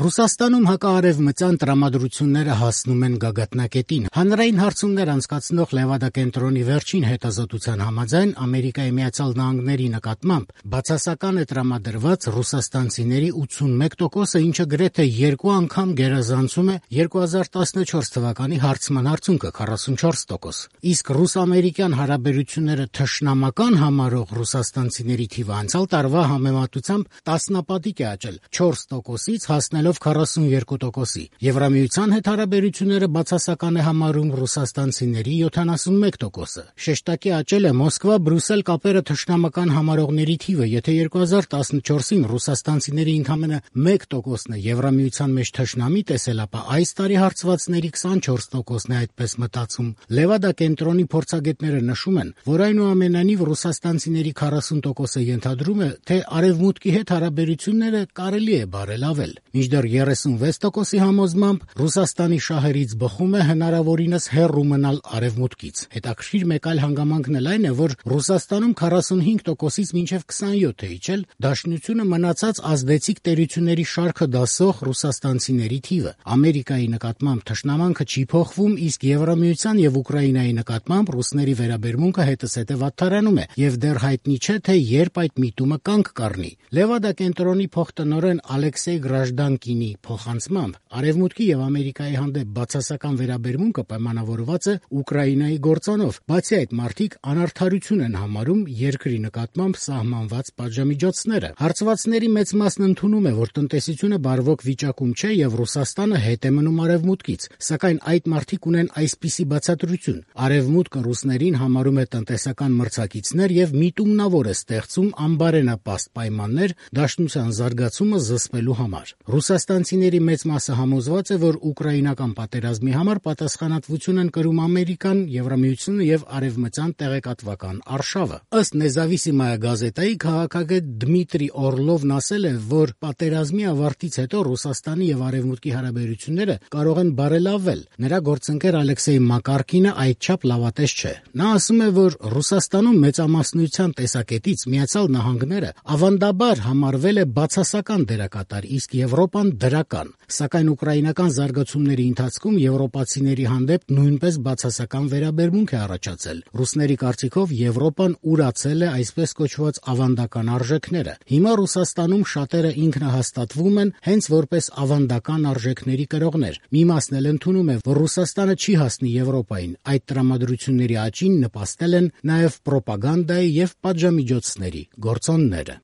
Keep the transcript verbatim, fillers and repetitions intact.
Ռուսաստանում հակաարևմտյան տրամադրությունները հասնում են գագաթնակետին։ Հանրային հարցումներ անցկացնող Լևադա կենտրոնի վերջին հետազոտության համաձայն Ամերիկայի Միացյալ Նահանգների նկատմամբ բացասական է տրամադրված ռուսաստանցիների ութսունմեկ տոկոսը, ինչը գրեթե երկու անգամ գերազանցում է երկու հազար տասնչորս թվականի հարցման արդյունքը քառասունչորս տոկոս։ Իսկ ռուս-ամերիկյան հարաբերությունները թշնամական համարող ռուսաստանցիների թիվը անցյալ տարվա համեմատությամբ տասնապատիկ է աճել չորս տոկոսից հասնելով քառասունյոթ տոկոսի։ Եվրամիության հետ հարաբերությունները բացասական է համարում ռուսաստանցիների յոթանասունմեկ տոկոսը։ Շեշտակի աճել է Մոսկվա-Բրյուսել կապերը թշնամական համարողների թիվը, եթե երկու հազար տասնչորսին ռուսաստանցիների ընդամենը մեկ տոկոսն է Եվրամիության մեջ թշնամի տեսել, ապա այս տարի հարցվածների քսանչորս տոկոսն է այդպես մտածում։ Լևադա կենտրոնի փորձագետները նշում են, որ այնուամենայնիվ ռուսաստանցիների քառասուն տոկոսը ենթադրում է, թե արևմուտքի հետ հարաբերությունները կարելի է բարելավել։ Մինչդեռ երեսունվեց տոկոսի համոզմամբ Ռուսաստանի շահերից բխում է հնարավորինս հեռու մնալ արևմուտքից։ Հետաքրքիր մեկ այլ հանգամանքն էլ այն է, որ Ռուսաստանում քառասունհինգ տոկոսից մինչև քսանյոթ է իջել դաշնությունը մնացած ազդեցիկ տերությունների շարքը դասող ռուսաստանցիների թիվը։ Ամերիկայի նկատմամբ թշնամանքը չի փոխվում, իսկ Եվրամիության եւ Ուկրաինայի նկատմամբ ռուսների վերաբերմունքը հետզհետե վատթարանում է, եւ դեռ հայտնի չէ, թե երբ այդ միտումը կանգ կառնի։ Լևադա կենտրոնի փոխտնօրեն Ալեքսեյ Գրաժդանկինի փոխանցմամբ Արևմուտքի եւ Ամերիկայի հանդեպ բացասական վերաբերմունքը պայմանավորված է Ուկրաինայի գործոնով, բացի այդ մարդիկ անարդարություն են համարում երկրի նկատմամբ սահմանված պատժամիջոցները։ Հարցվածների մեծ մասն ընդունում է, որ տնտեսությունը բարվոք վիճակում չէ եւ Ռուսաստանը հետ է մնում Արևմուտքից, սակայն այդ մարդիկ ունեն այսպիսի բացատրություն. Արևմուտքը ռուսներին համարում է տնտեսական մրցակիցներ եւ միտումնավոր է ստեղծում անբարենապաստ պայմաններ դաշնության զարգացումը զսպելու համար։ Ռուսաստանցիների մեծ մասը համոզված է, որ ուկրաինական պատերազմի համար պատասխանատվություն են կրում Ամերիկան, Եվրամիությունը եւ արևմտյան տեղեկատվական արշավը։ Ըստ Նեզավիսիմայա գազետայի քաղաքագետ Դմիտրի Օրլովն ասել է, որ պատերազմի ավարտից հետո Ռուսաստանի եւ Արևմուտքի հարաբերությունները կարող են բարելավել։ Նրա գործընկեր Ալեքսեյ Մակարկինը այդչափ լավատես չէ։ Նա ասում է, որ Ռուսաստանում մեծամասնության տեսակետից Միացյալ Նահանգները ավանդաբար համարվել է բացասական դերակատար, իսկ Եվրոպան դրական, սակայն ուկրաինական զարգացումների ընթացքում եվրոպացիների հանդեպ նույնպես բացասական վերաբերմունք է առաջացել։ Ռուսների կարծիքով Եվրոպան ուրացել է այսպես կոչված ավանդական արժեքները։ Հիմա Ռուսաստանում շատերը ինքնահաստատվում են հենց որպես ավանդական արժեքների կրողներ։ Մի մասն էլ ընդունում է, որ Ռուսաստանը չի հասնի Եվրոպային։ Այդ տրամադրությունների աճին նպաստել են նաև պրոպագանդայի եւ պատժամիջոցների գործոնները։